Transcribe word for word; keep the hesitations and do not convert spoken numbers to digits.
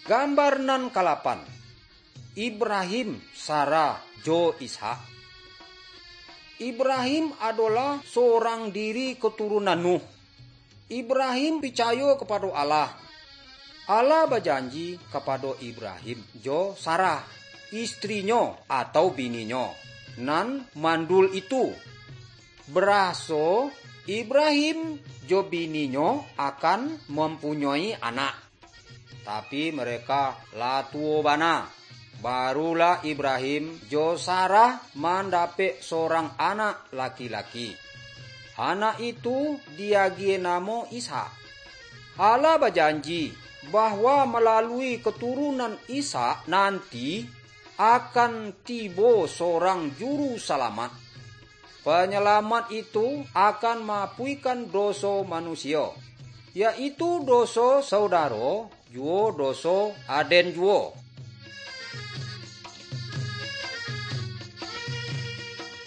Gambar nan kalapan. Ibrahim, Sarah, jo Ishak. Ibrahim adolah sorang diri katurunan Nuh. Ibrahim picayo kapado Allah. Allah bajanji kapado Ibrahim jo Sarah, istrinyo atau bininyo, nan mandul itu, baraso Ibrahim jo bininyo akan mampunyoi anak. Tapi mereka lah tuo bana. Barulah Ibrahim jo Sarah mandapek sorang anak laki-laki. Anak itu diagiah namo Ishak. Allah bajanji bahwa malalui katurunan Ishak nanti akan tibo sorang juru salamat. Panyalamat itu akan maapuikan doso manusio, yaitu doso saudaro, juo doso aden juo.